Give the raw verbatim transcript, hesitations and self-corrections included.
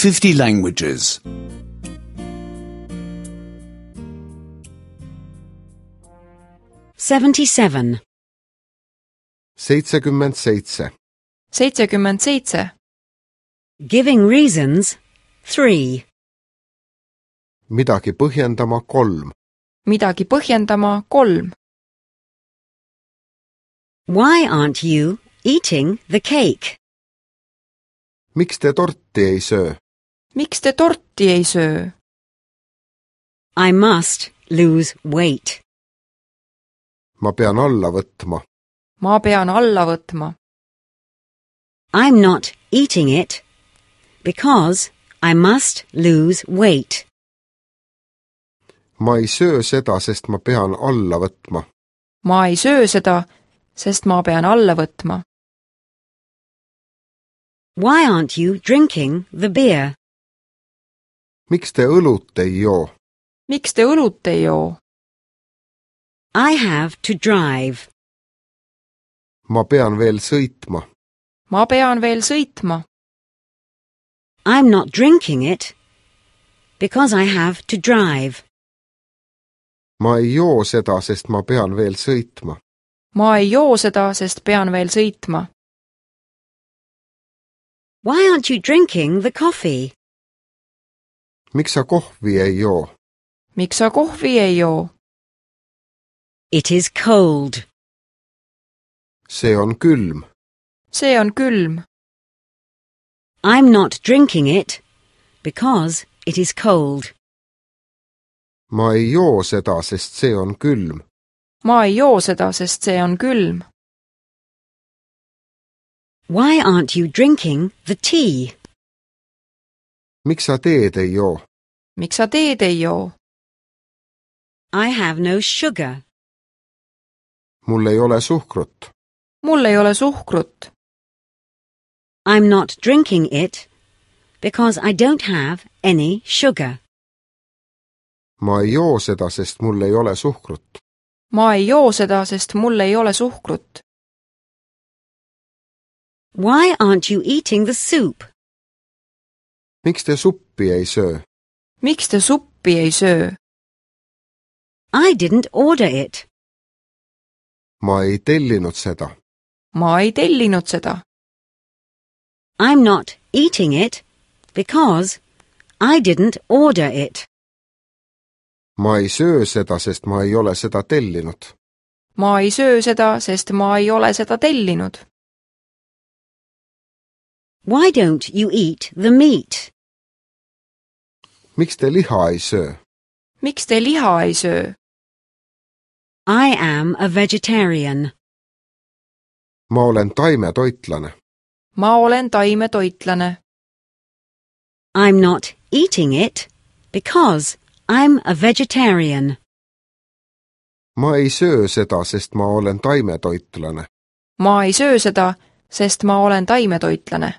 fifty languages. seventy-seven. seitsekümmend seitse. seitsekümmend seitse. Giving reasons, three. Midagi põhjendama kolm. Midagi põhjendama kolm. Why aren't you eating the cake? Miks te torti ei söö? Miks te torti ei söö? I must lose weight. Ma pean alla võtma. Ma pean alla võtma. I'm not eating it because I must lose weight. Ma ei söö seda, sest ma pean alla võtma. Ma ei söö seda, sest ma pean alla võtma. Why aren't you drinking the beer? Miks te õlut ei joo? Miks te õlut ei joo? I have to drive. Ma pean veel sõitma. Ma pean veel sõitma. I'm not drinking it because I have to drive. Ma ei joo seda, sest ma pean veel sõitma. Ma ei joo seda, sest pean veel sõitma. Why aren't you drinking the coffee? Miks sa kohvi ei joo? Miks sa kohvi ei joo? It is cold. See on külm. See on külm. I'm not drinking it because it is cold. Ma ei joo seda, sest see on külm. Ma ei joo seda, sest see on külm. Why aren't you drinking the tea? Miks sa teed ei joo? Miks sa teed ei joo? I have no sugar. Mul ei ole suhkrut. Mul ei ole suhkrut. I'm not drinking it because I don't have any sugar. Ma ei joo seda, sest mul ei ole suhkrut. Ma ei joo seda, sest mul ei ole suhkrut. Why aren't you eating the soup? Miks te suppi ei söö? Miks te suppi ei söö? I didn't order it. Ma ei tellinud seda. Ma ei tellinud seda. I'm not eating it because I didn't order it. Ma ei söö seda, sest ma ei ole seda tellinud. Ma ei söö seda, sest ma ei ole seda tellinud. Why don't you eat the meat? Miks te liha ei söö? Miks te liha ei söö? I am a vegetarian. Ma olen taimetoitlane. Ma olen taimetoitlane. I'm not eating it because I'm a vegetarian. Ma ei söö seda, sest ma olen taimetoitlane. Ma ei söö seda, sest ma olen taimetoitlane.